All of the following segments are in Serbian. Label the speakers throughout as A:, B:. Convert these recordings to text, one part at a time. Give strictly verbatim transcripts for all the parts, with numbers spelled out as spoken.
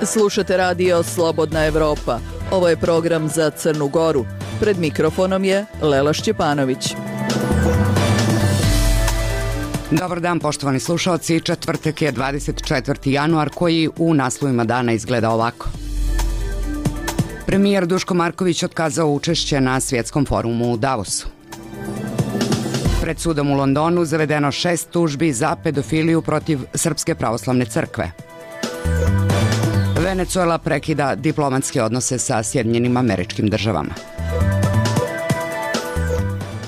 A: Slušate radio Slobodna Evropa. Ovo je program za Crnu Goru. Pred mikrofonom je Lela Šćepanović.
B: Dobar dan, poštovani slušalci. Četvrtak je dvadeset četvrti januar, koji u naslovima dana izgleda ovako. Premijer Duško Marković otkazao učešće na svjetskom forumu u Davosu. Pred sudom u Londonu zavedeno šest tužbi za pedofiliju protiv Srpske pravoslavne crkve. Venecuela prekida diplomatske odnose sa Sjedinjenim Američkim Državama.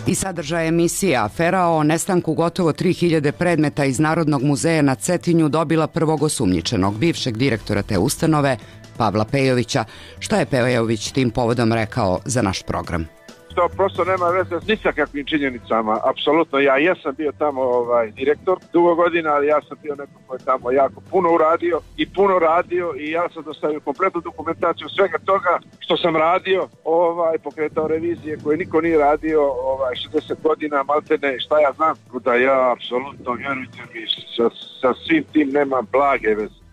B: I sadržaj emisije afera o nestanku gotovo tri hiljade predmeta iz Narodnog muzeja na Cetinju dobila prvog osumnjičenog, bivšeg direktora te ustanove, Pavla Pejovića. Šta je Pejović tim povodom rekao za naš program?
C: To prosto nema veze ni sa kakvim činjenicama, apsolutno. Ja jesam bio tamo ovaj, direktor dugo godina, ali ja sam bio neko ko je tamo jako puno uradio i puno radio i ja sam dostavio kompletnu dokumentaciju svega toga što sam radio, ovaj, pokretao revizije koje niko nije radio ovaj, šezdeset godina, maltene, šta ja znam. Da ja apsolutno, vjerujte mi, sa, sa svim tim nemam blage veze.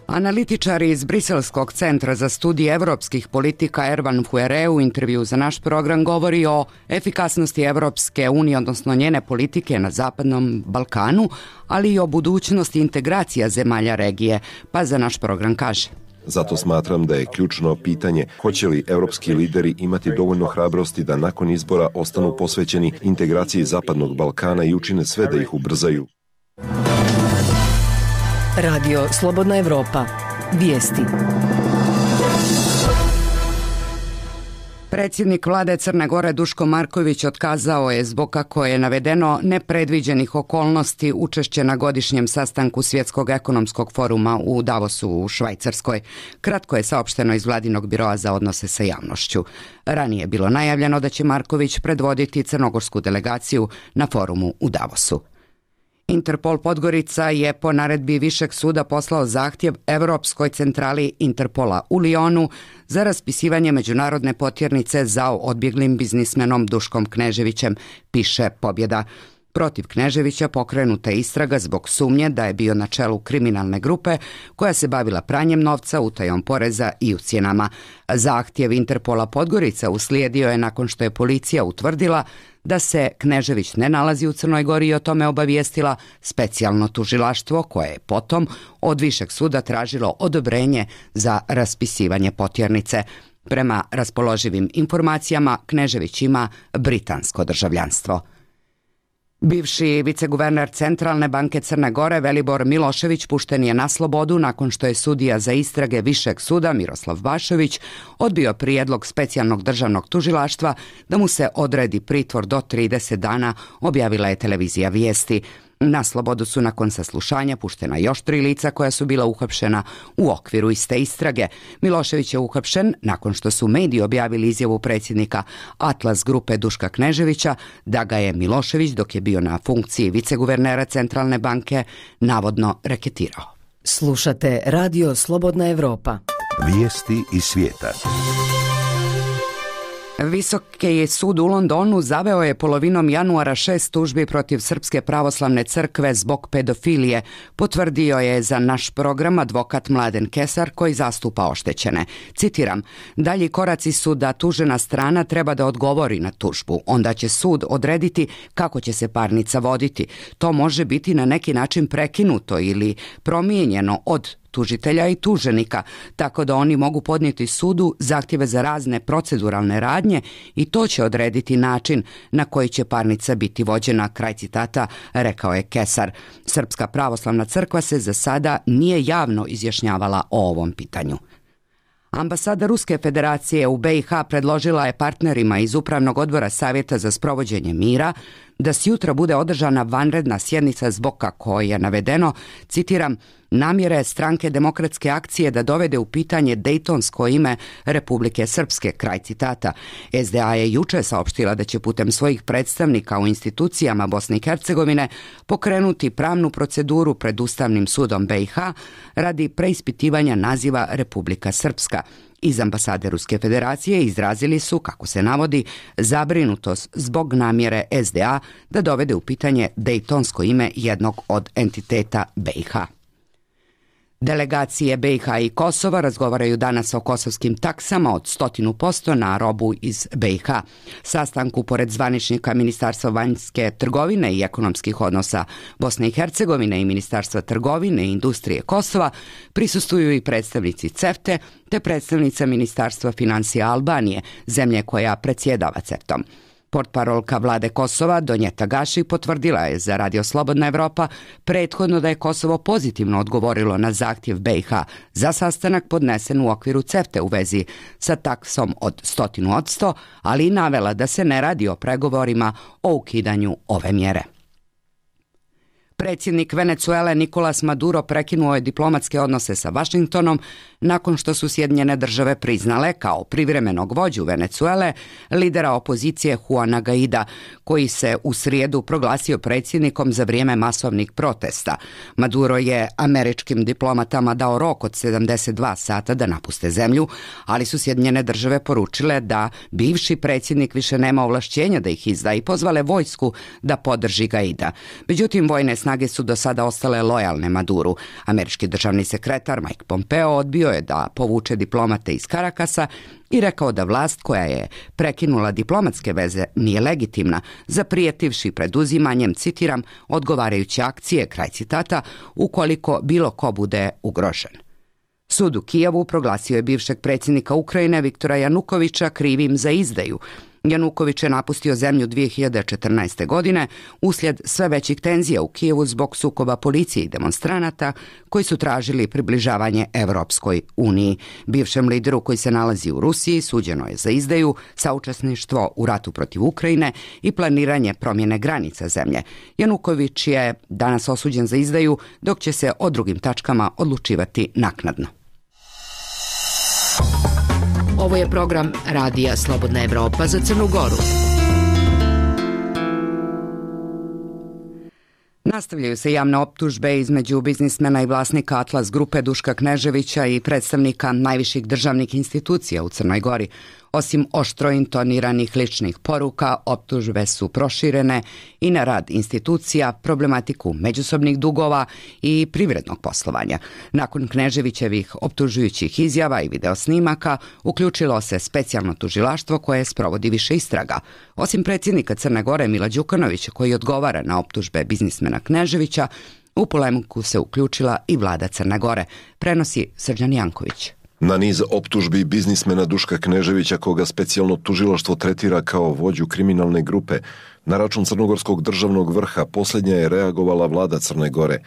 B: Analitičar iz Briselskog centra za studije evropskih politika Ervan Fuere u intervju za naš program govori o efikasnosti Evropske unije, odnosno njene politike na Zapadnom Balkanu, ali i o budućnosti integracija zemalja regije, pa za naš program kaže.
D: Zato smatram da je ključno pitanje hoće li evropski lideri imati dovoljno hrabrosti da nakon izbora ostanu posvećeni integraciji Zapadnog Balkana i učine sve da ih ubrzaju.
E: Radio Slobodna Evropa. Vijesti.
B: Predsjednik vlade Crne Gore Duško Marković otkazao je zbog, kako je navedeno, nepredviđenih okolnosti učešće na godišnjem sastanku Svjetskog ekonomskog foruma u Davosu u Švajcarskoj. Kratko je saopšteno iz vladinog biroa za odnose sa javnošću. Ranije je bilo najavljeno da će Marković predvoditi crnogorsku delegaciju na forumu u Davosu. Interpol Podgorica je po naredbi Višeg suda poslao zahtjev Evropskoj centrali Interpola u Lionu za raspisivanje međunarodne potjernice za odbjeglim biznismenom Duškom Kneževićem, piše Pobjeda. Protiv Kneževića pokrenuta je istraga zbog sumnje da je bio na čelu kriminalne grupe koja se bavila pranjem novca, utajom poreza i ucjenama. Zahtjev Interpola Podgorica uslijedio je nakon što je policija utvrdila da se Knežević ne nalazi u Crnoj Gori i o tome obavijestila specijalno tužilaštvo, koje je potom od Višeg suda tražilo odobrenje za raspisivanje potjernice. Prema raspoloživim informacijama, Knežević ima britansko državljanstvo. Bivši viceguverner Centralne banke Crne Gore Velibor Milošević pušten je na slobodu nakon što je sudija za istrage Višeg suda Miroslav Bašović odbio prijedlog specijalnog državnog tužilaštva da mu se odredi pritvor do trideset dana, objavila je televizija Vijesti. Na slobodu su nakon saslušanja puštena još tri lica koja su bila uhapšena u okviru iste istrage. Milošević je uhapšen nakon što su mediji objavili izjavu predsjednika Atlas grupe Duška Kneževića da ga je Milošević, dok je bio na funkciji viceguvernera Centralne banke, navodno reketirao.
E: Slušate radio Slobodna Evropa.
F: Vijesti iz svijeta.
B: Visoki sud u Londonu zaveo je polovinom januara šest tužbi protiv Srpske pravoslavne crkve zbog pedofilije, potvrdio je za naš program advokat Mladen Kesar koji zastupa oštećene. Citiram, dalji koraci su da tužena strana treba da odgovori na tužbu, onda će sud odrediti kako će se parnica voditi. To može biti na neki način prekinuto ili promijenjeno od tužitelja i tuženika, tako da oni mogu podnijeti sudu zahtjeve za razne proceduralne radnje i to će odrediti način na koji će parnica biti vođena, kraj citata, rekao je Kesar. Srpska pravoslavna crkva se za sada nije javno izjašnjavala o ovom pitanju. Ambasada Ruske federacije u be i ha predložila je partnerima iz Upravnog odbora Savjeta za sprovođenje mira da sjutra bude održana vanredna sjednica zbog, kako je navedeno, citiram, namjere stranke Demokratske akcije da dovede u pitanje dejtonsko ime Republike Srpske, kraj citata. es de a je juče saopštila da će putem svojih predstavnika u institucijama Bosne i Hercegovine pokrenuti pravnu proceduru pred Ustavnim sudom be i ha radi preispitivanja naziva Republika Srpska. Iz ambasade Ruske federacije izrazili su, kako se navodi, zabrinutost zbog namjere es de a da dovede u pitanje dejtonsko ime jednog od entiteta be i ha. Delegacije B i H i Kosova razgovaraju danas o kosovskim taksama od sto posto na robu iz B i H. Sastanku pored zvaničnika Ministarstva vanjske trgovine i ekonomskih odnosa Bosne i Hercegovine i Ministarstva trgovine i industrije Kosova prisustvuju i predstavnici CEFTE te predstavnica Ministarstva financija Albanije, zemlje koja predsjedava CEFTom. Portparolka vlade Kosova, Donjeta Gaši, potvrdila je za Radio Slobodna Evropa prethodno da je Kosovo pozitivno odgovorilo na zahtjev B i H za sastanak podnesen u okviru CEFTE u vezi sa taksom od sto posto, ali i navela da se ne radi o pregovorima o ukidanju ove mjere. Predsjednik Venecuele Nicolas Maduro prekinuo je diplomatske odnose sa Vašingtonom nakon što su Sjedinjene države priznale kao privremenog vođu Venecuele lidera opozicije Juana Guaida, koji se u srijedu proglasio predsjednikom za vrijeme masovnih protesta. Maduro je američkim diplomatama dao rok od sedamdeset dva sata da napuste zemlju, ali su Sjedinjene države poručile da bivši predsjednik više nema ovlašćenja da ih izda i pozvale vojsku da podrži Guaida. Međutim, vojne snage su do sada ostale lojalne Maduru. Američki državni sekretar Mike Pompeo odbio je da povuče diplomate iz Karakasa i rekao da vlast koja je prekinula diplomatske veze nije legitimna, zaprijetivši preduzimanjem, citiram, odgovarajuće akcije, kraj citata, ukoliko bilo ko bude ugrožen. Sud u Kijevu proglasio je bivšeg predsjednika Ukrajine Viktora Janukovića krivim za izdaju. Januković je napustio zemlju dvije hiljade četrnaeste. godine uslijed sve većih tenzija u Kijevu zbog sukoba policije i demonstranata koji su tražili približavanje Evropskoj uniji. Bivšem lideru koji se nalazi u Rusiji suđeno je za izdaju, saučesništvo u ratu protiv Ukrajine i planiranje promjene granica zemlje. Januković je danas osuđen za izdaju, dok će se o drugim tačkama odlučivati naknadno.
E: Ovo je program Radija Slobodna Evropa za Crnu Goru.
B: Nastavljaju se javne optužbe između biznismena i vlasnika Atlas grupe Duška Kneževića i predstavnika najviših državnih institucija u Crnoj Gori. Osim oštro intoniranih ličnih poruka, optužbe su proširene i na rad institucija, problematiku međusobnih dugova i privrednog poslovanja. Nakon Kneževićevih optužujućih izjava i videosnimaka, uključilo se specijalno tužilaštvo koje sprovodi više istraga. Osim predsjednika Crne Gore Mila Đukanovića, koji odgovara na optužbe biznismena Kneževića, u polemiku se uključila i vlada Crne Gore, prenosi Srđan Janković.
D: Na niz optužbi biznismena Duška Kneževića, koga specijalno tužilaštvo tretira kao vođu kriminalne grupe, na račun crnogorskog državnog vrha posljednja je reagovala vlada Crne Gore.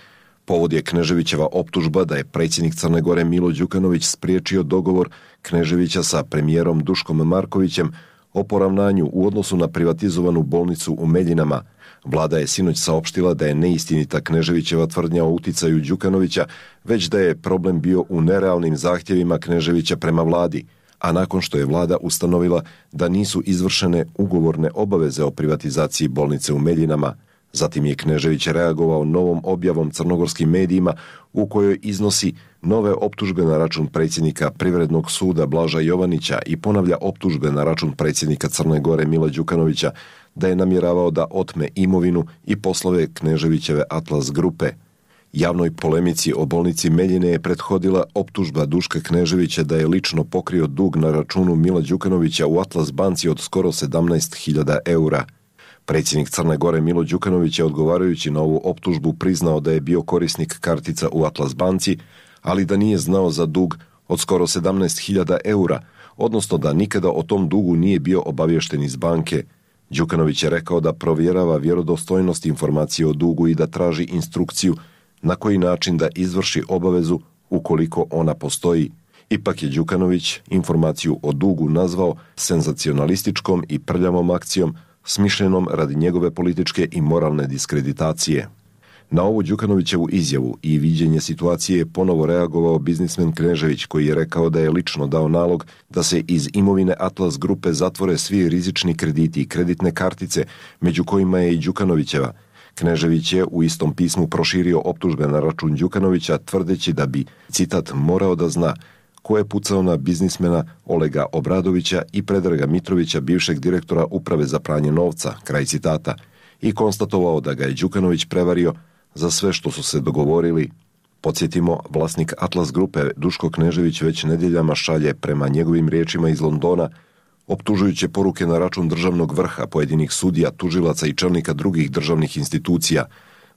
D: Povod je Kneževićeva optužba da je predsjednik Crne Gore Milo Đukanović spriječio dogovor Kneževića sa premijerom Duškom Markovićem o poravnanju u odnosu na privatizovanu bolnicu u Meljinama. Vlada je sinoć saopštila da je neistinita Kneževićeva tvrdnja o uticaju Đukanovića, već da je problem bio u nerealnim zahtjevima Kneževića prema vladi, a nakon što je vlada ustanovila da nisu izvršene ugovorne obaveze o privatizaciji bolnice u Meljinama. Zatim je Knežević reagovao novom objavom crnogorskim medijima u kojoj iznosi nove optužbe na račun predsjednika Privrednog suda Blaža Jovanića i ponavlja optužbe na račun predsjednika Crne Gore Mila Đukanovića da je namjeravao da otme imovinu i poslove Kneževićeve Atlas grupe. Javnoj polemici o bolnici Meljine je prethodila optužba Duška Kneževića da je lično pokrio dug na računu Mila Đukanovića u Atlas banci od skoro sedamnaest hiljada eura. Predsjednik Crne Gore Milo Đukanović je odgovarajući na ovu optužbu priznao da je bio korisnik kartica u Atlas banci, ali da nije znao za dug od skoro sedamnaest hiljada eura, odnosno da nikada o tom dugu nije bio obaviješten iz banke. Đukanović je rekao da provjerava vjerodostojnost informacije o dugu i da traži instrukciju na koji način da izvrši obavezu ukoliko ona postoji. Ipak je Đukanović informaciju o dugu nazvao senzacionalističkom i prljavom akcijom smišljenom radi njegove političke i moralne diskreditacije. Na ovu Đukanovićevu izjavu i viđenje situacije je ponovo reagovao biznismen Knežević, koji je rekao da je lično dao nalog da se iz imovine Atlas grupe zatvore svi rizični krediti i kreditne kartice, među kojima je i Đukanovićeva. Knežević je u istom pismu proširio optužbe na račun Đukanovića, tvrdeći da bi, citat, morao da zna ko je pucao na biznismena Olega Obradovića i Predraga Mitrovića, bivšeg direktora Uprave za pranje novca, kraj citata, i konstatovao da ga je Đukanović prevario za sve što su se dogovorili. Podsjetimo, vlasnik Atlas grupe Duško Knežević već nedjeljama šalje, prema njegovim riječima iz Londona, optužujuće poruke na račun državnog vrha, pojedinih sudija, tužilaca i čelnika drugih državnih institucija.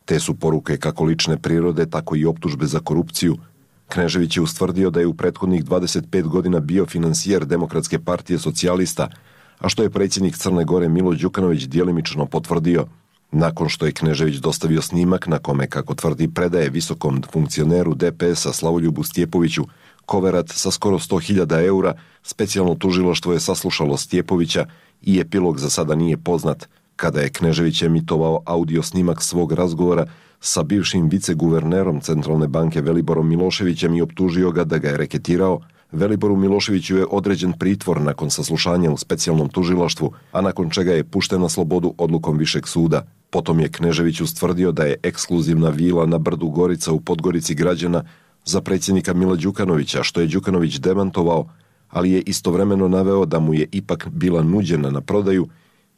D: Te su poruke kako lične prirode, tako i optužbe za korupciju. Knežević je ustvrdio da je u prethodnih dvadeset pet godina bio finansijer Demokratske partije socijalista, a što je predsjednik Crne Gore Milo Đukanović djelimično potvrdio. Nakon što je Knežević dostavio snimak na kome, kako tvrdi, predaje visokom funkcioneru D P S-a Slavoljubu Stjepoviću koverat sa skoro sto hiljada eura, specijalno tužilaštvo je saslušalo Stjepovića i epilog za sada nije poznat. Kada je Knežević emitovao audio snimak svog razgovora sa bivšim viceguvernerom Centralne banke Veliborom Miloševićem i optužio ga da ga je reketirao, Veliboru Miloševiću je određen pritvor nakon saslušanja u specijalnom tužilaštvu, a nakon čega je pušten na slobodu odlukom višeg suda. Potom je Knežević ustvrdio da je ekskluzivna vila na brdu Gorica u Podgorici građana za predsjednika Mila Đukanovića, što je Đukanović demantovao, ali je istovremeno naveo da mu je ipak bila nuđena na prodaju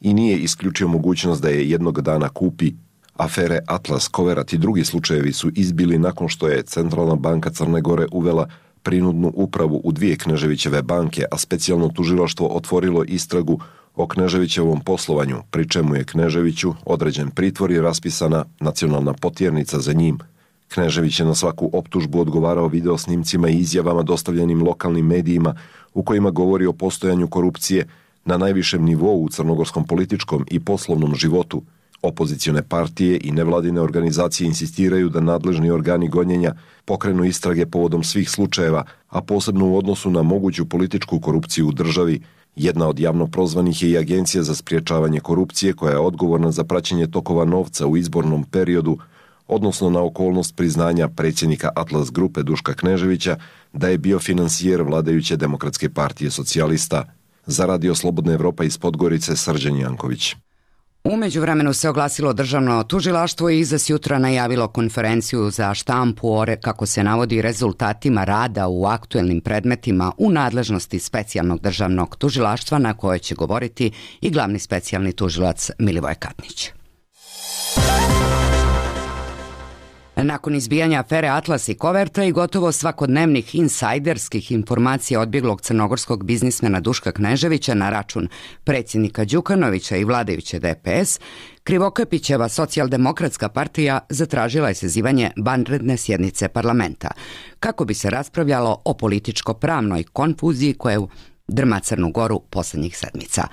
D: i nije isključio mogućnost da je jednog dana kupi. Afere Atlas, koverat i drugi slučajevi su izbili nakon što je Centralna banka Crne Gore uvela prinudnu upravu u dvije Kneževićeve banke, a specijalno tužilaštvo otvorilo istragu o Kneževićevom poslovanju, pri čemu je Kneževiću određen pritvor i raspisana nacionalna potjernica za njim. Knežević je na svaku optužbu odgovarao video snimcima i izjavama dostavljenim lokalnim medijima u kojima govori o postojanju korupcije na najvišem nivou u crnogorskom političkom i poslovnom životu. Opozicione partije i nevladine organizacije insistiraju da nadležni organi gonjenja pokrenu istrage povodom svih slučajeva, a posebno u odnosu na moguću političku korupciju u državi. Jedna od javno prozvanih je i Agencija za sprječavanje korupcije, koja je odgovorna za praćenje tokova novca u izbornom periodu, odnosno na okolnost priznanja predsjednika Atlas grupe Duška Kneževića da je bio finansijer vladajuće Demokratske partije socijalista. Za Radio Slobodna Evropa iz Podgorice, Srđan Janković.
B: U međuvremenu se oglasilo državno tužilaštvo i za sjutra najavilo konferenciju za štampu o, kako se navodi, rezultatima rada u aktuelnim predmetima u nadležnosti specijalnog državnog tužilaštva, na kojoj će govoriti i glavni specijalni tužilac Milivoje Katnić. Nakon izbijanja afere Atlas i koverta i gotovo svakodnevnih insajderskih informacija odbjeglog crnogorskog biznismena Duška Kneževića na račun predsjednika Đukanovića i vladajuće D P S, Krivokapićeva socijaldemokratska partija zatražila je sazivanje vanredne sjednice parlamenta, kako bi se raspravljalo o političko-pravnoj konfuziji koja drma Crnu Goru posljednjih sedmica.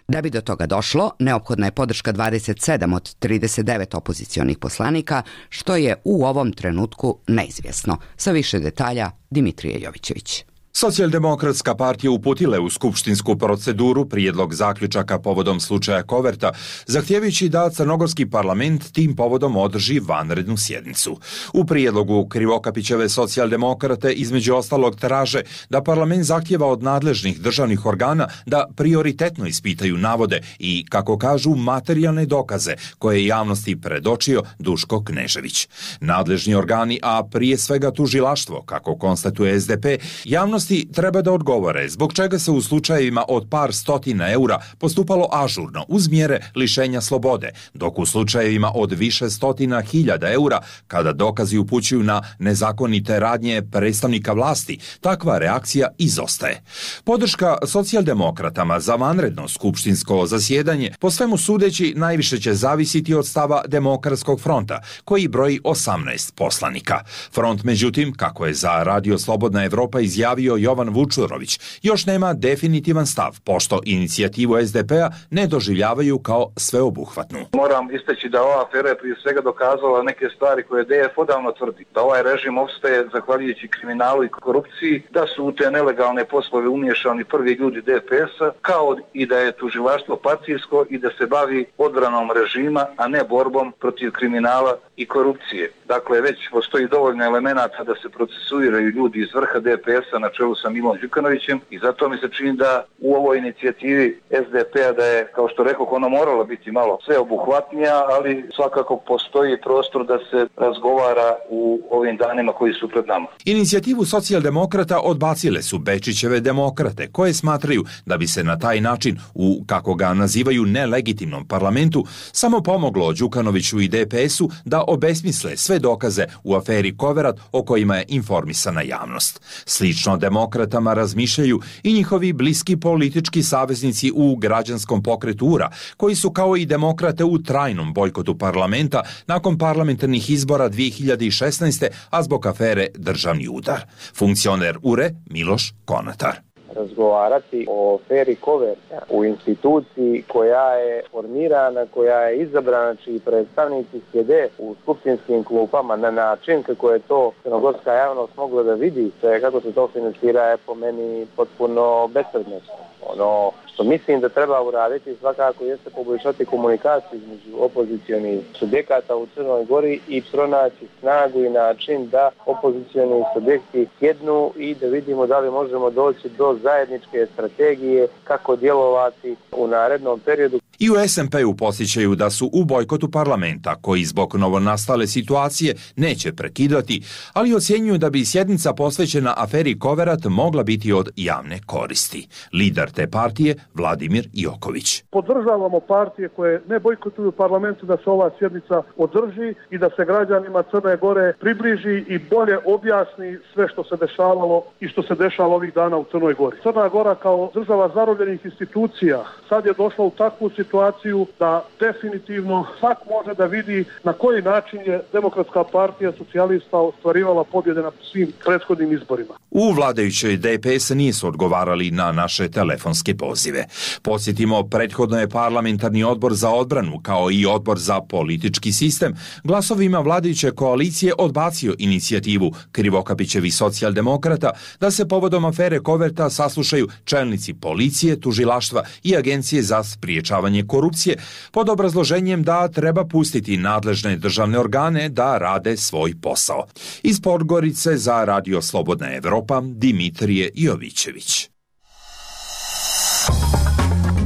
B: Da bi do toga došlo, neophodna je podrška dvadeset sedam od trideset devet opozicionih poslanika, što je u ovom trenutku neizvjesno. Sa više detalja Dimitrije Jovićević.
G: Socijaldemokratska partija uputila je u skupštinsku proceduru prijedlog zaključaka povodom slučaja koverta, zahtijevajući da crnogorski parlament tim povodom održi vanrednu sjednicu. U prijedlogu Krivokapićeve socijaldemokrate između ostalog traže da parlament zahtjeva od nadležnih državnih organa da prioritetno ispitaju navode i, kako kažu, materijalne dokaze koje je javnosti predočio Duško Knežević. Nadležni organi, a prije svega tužilaštvo, kako konstatuje S D P, javnost treba da odgovore zbog čega se u slučajevima od par stotina eura postupalo ažurno uz mjere lišenja slobode, dok u slučajevima od više stotina hiljada eura, kada dokazi upućuju na nezakonite radnje predstavnika vlasti, takva reakcija izostaje. Podrška socijaldemokratama za vanredno skupštinsko zasjedanje po svemu sudeći najviše će zavisiti od stava Demokratskog fronta, koji broji osamnaest poslanika. Front, međutim, kako je za Radio Slobodna Evropa izjavio Jovan Vučurović, još nema definitivan stav, pošto inicijativu S D P-a ne doživljavaju kao sveobuhvatnu.
H: Moram istaći da ova afera je prije svega dokazala neke stvari koje D F odavno tvrdi. Da ovaj režim opstaje zahvaljujući kriminalu i korupciji, da su u te nelegalne poslove umiješani prvi ljudi D P S-a, kao i da je tužilaštvo partijsko i da se bavi odbranom režima, a ne borbom protiv kriminala i korupcije. Dakle, već postoji dovoljno elemenata da se procesuiraju ljudi iz vrha D P S-a na čelu čelu sa Milom Đukanovićem i zato mi se čini da u ovoj inicijativi es de pe-a da je, kao što rekoh, ona morala biti malo sveobuhvatnija, ali svakako postoji prostor da se razgovara u ovim danima koji su pred nama.
G: Inicijativu socijaldemokrata odbacile su Bečićeve demokrate, koje smatraju da bi se na taj način u, kako ga nazivaju, nelegitimnom parlamentu samo pomoglo Đukanoviću i de pe es-u da obesmisle sve dokaze u aferi Koverat o kojima je informisana javnost. Slično demokratama razmišljaju i njihovi bliski politički saveznici u građanskom pokretu U R A, koji su kao i demokrate u trajnom bojkotu parlamenta nakon parlamentarnih izbora dvije hiljade šesnaeste. a zbog afere Državni udar. Funkcioner U R E Miloš Konatar.
I: Razgovarati o aferi Koverta u instituciji koja je formirana, koja je izabrana, čiji predstavnici sjede u skupštinskim klupama na način kako je to crnogorska javnost mogla da vidi, kako se to finansira, je po meni potpuno bespredmetno. Ono što mislim da treba uraditi svakako jeste poboljšati komunikaciju između opozicionih subjekata u Crnoj Gori i pronaći snagu i način da opozicioni subjekti sjednu i da vidimo da li možemo doći do zajedničke strategije kako djelovati u narednom periodu.
G: I u es en pe-u podsjećaju da su u bojkotu parlamenta, koji zbog novonastale situacije neće prekidati, ali ocjenjuju da bi sjednica posvećena aferi Koverat mogla biti od javne koristi. Lider te partije, Vladimir Joković.
J: Podržavamo partije koje ne bojkotuju parlamentu da se ova sjednica održi i da se građanima Crne Gore približi i bolje objasni sve što se dešavalo i što se dešava ovih dana u Crnoj Gori. Crna Gora kao država zarobljenih institucija sad je došla u takvu situaciju da definitivno svak može da vidi na koji način je Demokratska partija socijalista ostvarivala pobjede na svim prethodnim izborima.
G: U vladajućoj de pe es nisu odgovarali na naše telefonske pozive. Podsjetimo, prethodno je parlamentarni odbor za odbranu, kao i odbor za politički sistem, glasovima vladajuće koalicije odbacio inicijativu Krivokapićevih socijaldemokrata da se povodom afere Koverta saslušaju čelnici policije, tužilaštva i Agencije za spriječavanje korupcije, pod obrazloženjem da treba pustiti nadležne državne organe da rade svoj posao. Iz Podgorice za Radio Slobodna Evropa, Dimitrije Jovićević.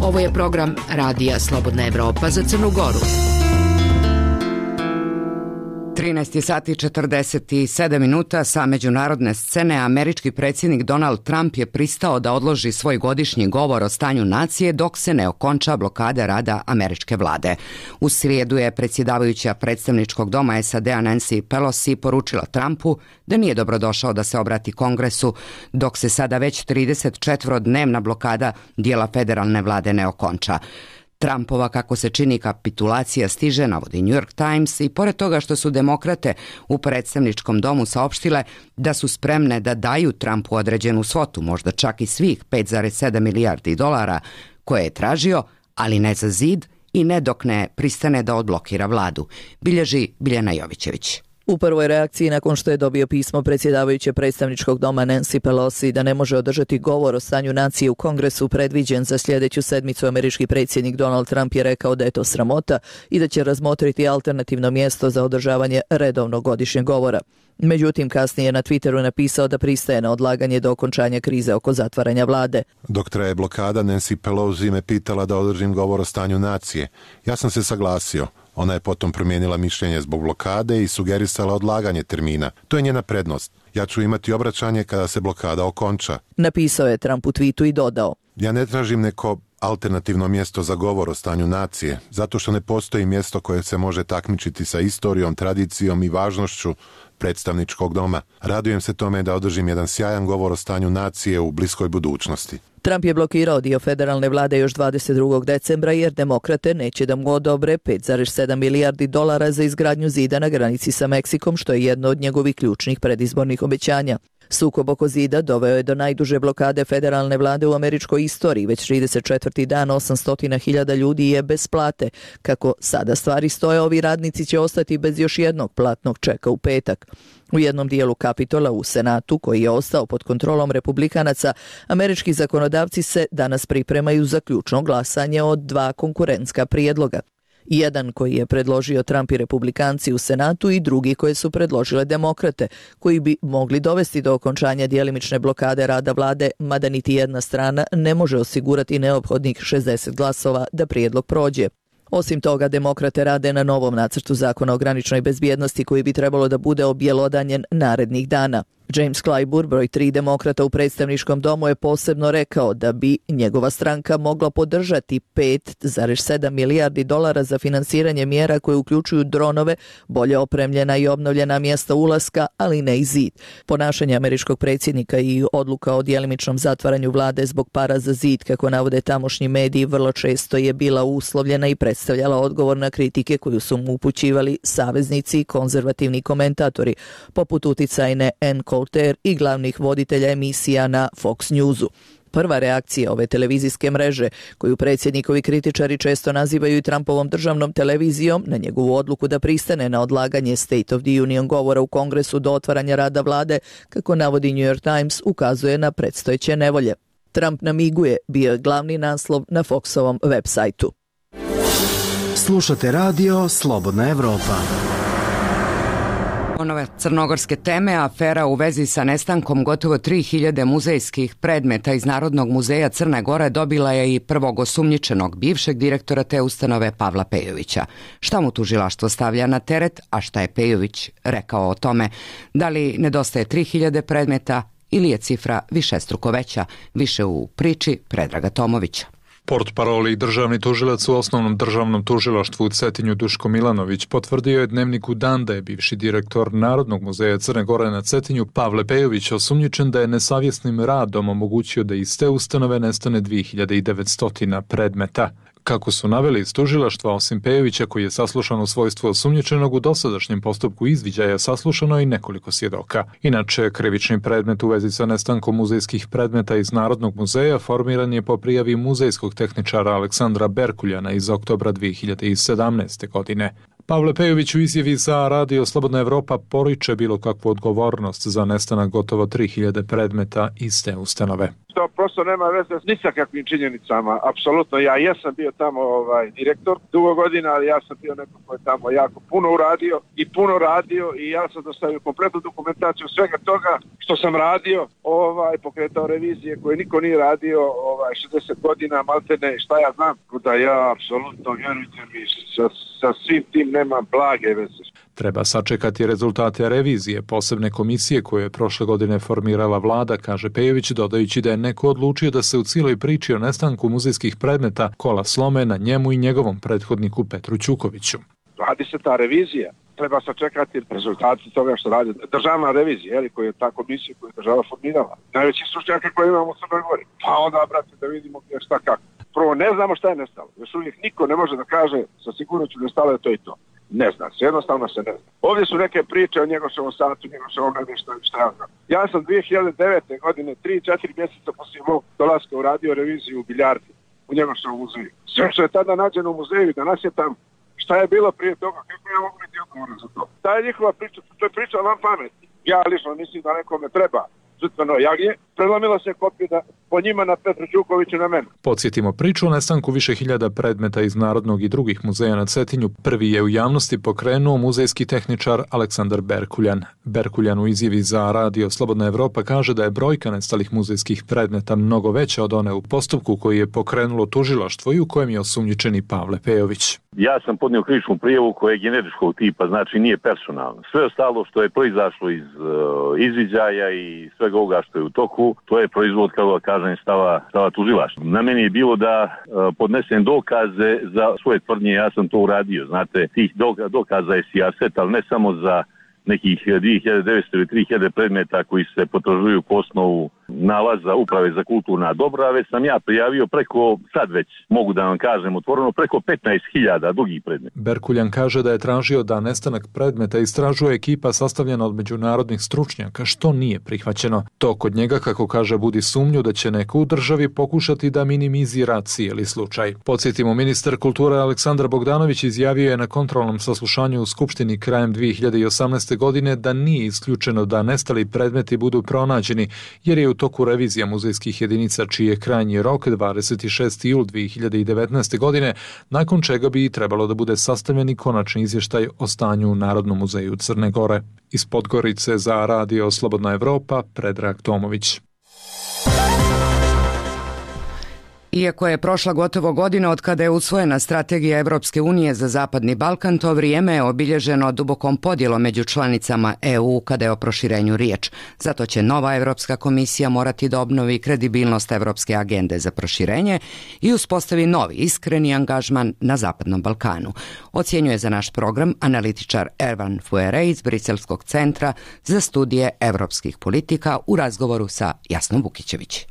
E: Ovo je program Radija Slobodna Evropa za Crnu Goru.
B: trinaest sati i četrdeset sedam minuta. Sa međunarodne scene američki predsjednik Donald Trump je pristao da odloži svoj godišnji govor o stanju nacije dok se ne okonča blokada rada američke vlade. U srijedu je predsjedavajuća predstavničkog doma es a de-a Nancy Pelosi poručila Trumpu da nije dobrodošao da se obrati Kongresu dok se sada već trideset četvorodnevna blokada dijela federalne vlade ne okonča. Trumpova, kako se čini, kapitulacija stiže, navodi New York Times, i pored toga što su demokrate u predstavničkom domu saopštile da su spremne da daju Trumpu određenu svotu, možda čak i svih pet zarez sedam milijardi dolara koje je tražio, ali ne za zid i ne dok ne pristane da odblokira vladu, bilježi Biljana Jovićević.
A: U prvoj reakciji nakon što je dobio pismo predsjedavajuće predstavničkog doma Nancy Pelosi da ne može održati govor o stanju nacije u Kongresu predviđen za sljedeću sedmicu, američki predsjednik Donald Trump je rekao da je to sramota i da će razmotriti alternativno mjesto za održavanje redovnog godišnjeg govora. Međutim, kasnije je na Twitteru napisao da pristaje na odlaganje do okončanja krize oko zatvaranja vlade.
K: Dok traje blokada, Nancy Pelosi me pitala da održim govor o stanju nacije. Ja sam se saglasio. Ona je potom promijenila mišljenje zbog blokade i sugerisala odlaganje termina. To je njena prednost. Ja ću imati obraćanje kada se blokada okonča.
A: Napisao je Trump u tweetu i dodao:
K: Ja ne tražim neko alternativno mjesto za govor o stanju nacije, zato što ne postoji mjesto koje se može takmičiti sa istorijom, tradicijom i važnošću predstavničkog doma. Radujem se tome da održim jedan sjajan govor o stanju nacije u bliskoj budućnosti.
A: Trump je blokirao dio federalne vlade još dvadeset drugog decembra jer demokrate neće da mu odobre pet zarez sedam milijardi dolara za izgradnju zida na granici sa Meksikom, što je jedno od njegovih ključnih predizbornih obećanja. Sukob oko zida doveo je do najduže blokade federalne vlade u američkoj istoriji. Već trideset četvrti dan osamsto hiljada ljudi je bez plate. Kako sada stvari stoje, ovi radnici će ostati bez još jednog platnog čeka u petak. U jednom dijelu Kapitola u Senatu, koji je ostao pod kontrolom republikanaca, američki zakonodavci se danas pripremaju za ključno glasanje od dva konkurentska prijedloga. Jedan koji je predložio Trump i republikanci u Senatu i drugi koje su predložile demokrate, koji bi mogli dovesti do okončanja djelimične blokade rada vlade, mada niti jedna strana ne može osigurati neophodnih šezdeset glasova da prijedlog prođe. Osim toga, demokrate rade na novom nacrtu zakona o graničnoj bezbjednosti koji bi trebalo da bude objelodanjen narednih dana. James Clyburn, broj tri demokrata u predstavničkom domu, je posebno rekao da bi njegova stranka mogla podržati pet zarez sedam milijardi dolara za finansiranje mjera koje uključuju dronove, bolje opremljena i obnovljena mjesta ulaska, ali ne i zid. Ponašanje američkog predsjednika i odluka o djelimičnom zatvaranju vlade zbog para za zid, kako navode tamošnji mediji, vrlo često je bila uslovljena i predstavljala odgovor na kritike koju su mu upućivali saveznici i konzervativni komentatori, poput uticajne Ann Coulter i glavnih voditelja emisija na Fox Newsu. Prva reakcija ove televizijske mreže, koju predsjednikovi kritičari često nazivaju i Trumpovom državnom televizijom, na njegovu odluku da pristane na odlaganje State of the Union govora u Kongresu do otvaranja rada vlade, kako navodi New York Times, ukazuje na predstojeće nevolje. Trump namiguje, bio je glavni naslov na Foxovom web sajtu.
L: Slušate radio Slobodna Evropa.
B: Nove crnogorske teme, afera u vezi sa nestankom gotovo tri hiljade muzejskih predmeta iz Narodnog muzeja Crne Gore dobila je i prvog osumnjičenog, bivšeg direktora te ustanove Pavla Pejovića. Šta mu tužilaštvo stavlja na teret, a šta je Pejović rekao o tome? Da li nedostaje tri hiljade predmeta ili je cifra višestruko veća? Više u priči Predraga Tomovića.
M: Portparol i državni tužilac u osnovnom državnom tužilaštvu u Cetinju Duško Milanović potvrdio je Dnevniku Dan da je bivši direktor Narodnog muzeja Crne Gore na Cetinju Pavle Pejović osumnjičen da je nesavjesnim radom omogućio da iz te ustanove nestane dvije hiljade devetsto predmeta. Kako su naveli iz tužilaštva, osim Pejovića koji je saslušan u svojstvu osumnjičenog, u dosadašnjem postupku izviđaja saslušano i nekoliko svjedoka. Inače, krivični predmet u vezi sa nestankom muzejskih predmeta iz Narodnog muzeja formiran je po prijavi muzejskog tehničara Aleksandra Berkuljana iz oktobra dvije hiljade sedamnaeste. godine. Pavle Pejović u izjavi za Radio Slobodna Evropa poriče bilo kakvu odgovornost za nestanak gotovo tri hiljade predmeta iz te ustanove.
C: To prosto nema veze ni sa kakvim činjenicama, apsolutno. Ja jesam bio tamo ovaj, direktor dugo godina, ali ja sam bio neko ko je tamo jako puno uradio i puno radio i ja sam dostavio kompletnu dokumentaciju svega toga što sam radio, ovaj, pokretao revizije koje niko nije radio ovaj, šezdeset godina, maltene, šta ja znam. Da ja apsolutno, vjerujte mi, sa, sa svim tim nema blage veze.
M: Treba sačekati rezultate revizije posebne komisije koje je prošle godine formirala vlada, kaže Pejović, dodajući da je neko odlučio da se u cijeloj priči o nestanku muzejskih predmeta kola slome na njemu i njegovom prethodniku Petru Ćukoviću.
C: Radi se ta revizija. Treba sačekati rezultati toga što radi državna revizija, jeli, koja je ta komisija koju je država formirala. Najveći stručnjaka koje imamo u Crnoj Gori. Pa onda, brate, da vidimo gdje šta kako. Prvo, ne znamo šta je nestalo. Još uvijek niko ne može da kaže sa sigurnošću nestalo je to i to. Ne zna se, jednostavno se ne zna. Ovdje su neke priče o Njegoševom satu, Njegoševom nešto i šta ja znam. Ja sam dvije hiljade devete. godine, tri četiri mjeseca poslije mog dolaska uradio reviziju u Biljardi, u Njegošovom muzeju. Sve što je tada nađeno u muzeju, danas je tam. Šta je bilo prije toga, kako ja mogu biti odgovoran za to? Ta je njihova priča, to je priča van pameti. Ja lično mislim da nekome treba žrtveno jagnje, prelomila se kopija da po njima na Petru Ćukoviću na mene.
M: Podsjetimo priču o nestanku više hiljada predmeta iz Narodnog i drugih muzeja na Cetinju. Prvi je u javnosti pokrenuo muzejski tehničar Aleksandar Berkuljan. Berkuljan u izjavi za Radio Slobodna Evropa kaže da je brojka nestalih muzejskih predmeta mnogo veća od one u postupku koji je pokrenulo tužilaštvo i u kojem je osumnjičeni Pavle Pejović.
N: Ja sam podnio krivičnu prijavu koja je generičkog tipa, znači nije personalna. Sve ostalo što je proizašlo iz uh, izviđaja i svega ovoga što je u toku, to je proizvod, kako kažem, stava, stava tužilaštva. Na meni je bilo da uh, podnesem dokaze za svoje tvrdnje, ja sam to uradio. Znate, tih dokaza je sijaset, ali ne samo za nekih dvije hiljade devetsto ili tri hiljade predmeta koji se potražuju po osnovu nalaza Uprave za kulturna dobra, već sam ja prijavio preko, sad već mogu da vam kažem otvoreno, preko petnaest hiljada drugih predmeta.
M: Berkuljan kaže da je tražio da nestanak predmeta istražuje ekipa sastavljena od međunarodnih stručnjaka, što nije prihvaćeno. To kod njega, kako kaže, budi sumnju da će neko u državi pokušati da minimizira cijeli slučaj. Podsjetimo, ministar kulture Aleksandar Bogdanović izjavio je na kontrolnom saslušanju u Skupštini krajem dvije hiljade osamnaeste. godine da nije isključeno da nestali predmeti budu pronađeni, jer je u toku revizija muzejskih jedinica čiji je krajnji rok dvadeset šesti jul dve hiljade devetnaeste. godine, nakon čega bi trebalo da bude sastavljen i konačni izvještaj o stanju u Narodnom muzeju Crne Gore. Iz Podgorice za Radio Slobodna Evropa, Predrag Tomović.
B: Iako je prošla gotovo godina od kada je usvojena strategija Evropske unije za Zapadni Balkan, to vrijeme je obilježeno dubokom podjelom među članicama E U kada je o proširenju riječ. Zato će nova Evropska komisija morati da obnovi kredibilnost Evropske agende za proširenje i uspostavi novi iskreni angažman na Zapadnom Balkanu. Ocjenjuje za naš program analitičar Ervan Fuere iz Briselskog centra za studije evropskih politika u razgovoru sa Jasnom Vukićević.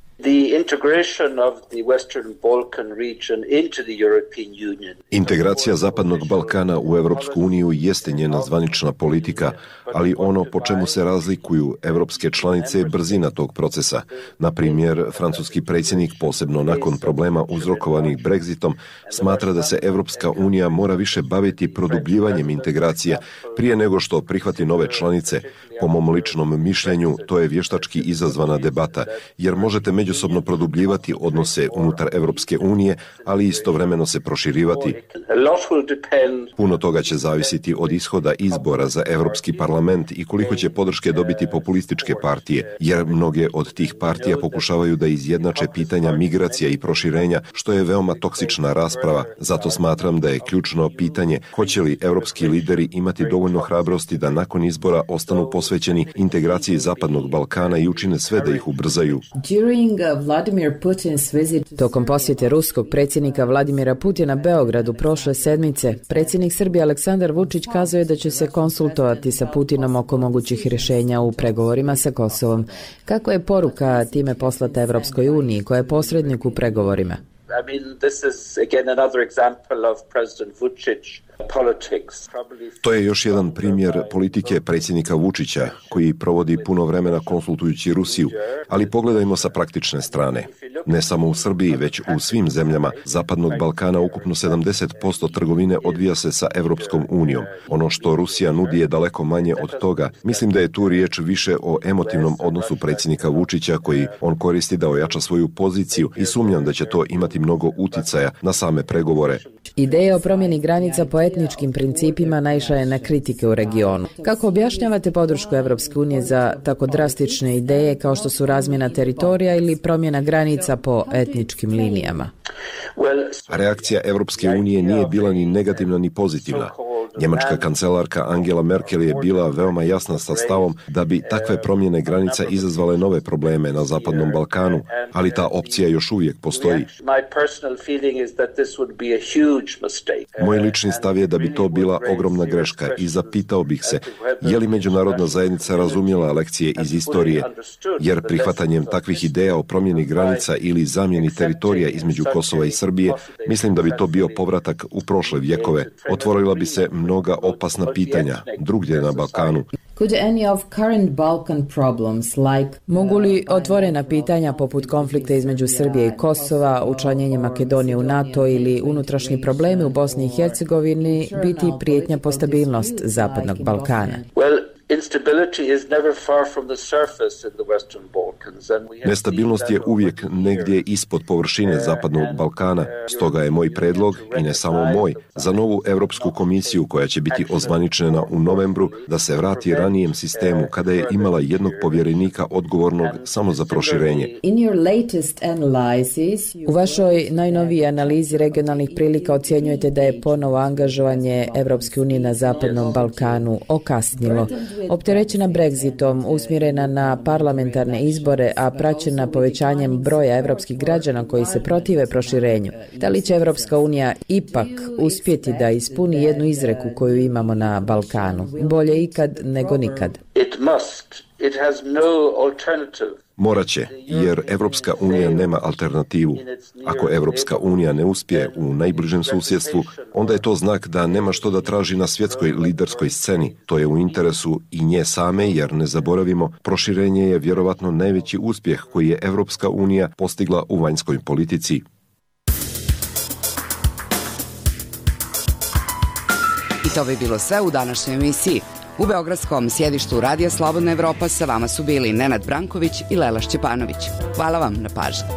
D: Integracija Zapadnog Balkana u Evropsku uniju jeste njena zvanična politika, ali ono po čemu se razlikuju evropske članice je brzina tog procesa. Na primjer, francuski predsjednik, posebno nakon problema uzrokovanih Brexitom, smatra da se Evropska unija mora više baviti produbljivanjem integracija prije nego što prihvati nove članice. Po mom ličnom mišljenju, to je vještački izazvana debata, jer možete međusobno produbljivati odnose unutar Evropske unije, ali istovremeno se proširivati. Puno toga će zavisiti od ishoda izbora za Evropski parlament i koliko će podrške dobiti populističke partije, jer mnoge od tih partija pokušavaju da izjednače pitanja migracija i proširenja, što je veoma toksična rasprava. Zato smatram da je ključno pitanje hoće li evropski lideri imati dovoljno hrabrosti da nakon izbora ostanu posvećeni integraciji Zapadnog Balkana i učine sve da ih ubrzaju.
O: Tokom posjete ruskog predsjednika Vladimira Putina Beogradu prošle sedmice, predsjednik Srbije Aleksandar Vučić kazao je da će se konsultovati sa Putinom oko mogućih rješenja u pregovorima sa Kosovom. Kako je poruka time poslata Evropskoj uniji, koja je posrednik u pregovorima?
P: I mean, this is again another example of President Vučić politics.
D: To je još jedan primjer politike predsjednika Vučića, koji provodi puno vremena konsultujući Rusiju, ali pogledajmo sa praktične strane. Ne samo u Srbiji, već u svim zemljama Zapadnog Balkana ukupno sedamdeset posto trgovine odvija se sa Evropskom unijom. Ono što Rusija nudi je daleko manje od toga. Mislim da je tu riječ više o emotivnom odnosu predsjednika Vučića koji on koristi da ojača svoju poziciju i sumnjam da će to imati mnogo uticaja na same pregovore.
O: Ideja o promjeni granica po etničkim principima naišla je na kritike u regionu. Kako objašnjavate podršku Evropske unije za tako drastične ideje kao što su razmjena teritorija ili promjena granica po etničkim linijama?
D: Reakcija Evropske unije nije bila ni negativna ni pozitivna. Njemačka kancelarka Angela Merkel je bila veoma jasna sa stavom da bi takve promjene granica izazvale nove probleme na Zapadnom Balkanu, ali ta opcija još uvijek postoji. Moj lični stav je da bi to bila ogromna greška i zapitao bih se je li međunarodna zajednica razumjela lekcije iz istorije, jer prihvatanjem takvih ideja o promjeni granica ili zamjeni teritorija između Kosova i Srbije, mislim da bi to bio povratak u prošle vjekove. Otvorila bi se mnoga opasna pitanja drugdje na Balkanu.
O: Mogu li otvorena pitanja poput konflikta između Srbije i Kosova, učlanjenje Makedonije u NATO ili unutrašnji problemi u Bosni i Hercegovini biti prijetnja po stabilnost Zapadnog Balkana?
D: Nestabilnost je uvijek negdje ispod površine Zapadnog Balkana, stoga je moj predlog, i ne samo moj, za novu Europsku komisiju koja će biti ozvaničena u novembru da se vrati ranijem sistemu kada je imala jednog povjerenika odgovornog samo za proširenje.
O: U vašoj najnoviji analizi regionalnih prilika ocjenjujete da je ponovo angažovanje Evropske unije na Zapadnom Balkanu okasnilo. Opterećena Brexitom, usmjerena na parlamentarne izbore, a praćena povećanjem broja evropskih građana koji se protive proširenju. Da li će Evropska unija ipak uspjeti da ispuni jednu izreku koju imamo na Balkanu? Bolje ikad nego nikad.
P: It must. It has no alternative.
D: Morat će, jer Evropska unija nema alternativu. Ako Evropska unija ne uspije u najbližem susjedstvu, onda je to znak da nema što da traži na svjetskoj liderskoj sceni. To je u interesu i nje same, jer ne zaboravimo, proširenje je vjerovatno najveći uspjeh koji je Evropska unija postigla u vanjskoj politici.
B: I to bi bilo sve u današnjoj emisiji. U beogradskom sjedištu Radija Slobodna Evropa sa vama su bili Nenad Branković i Lela Šćepanović. Hvala vam na pažnji.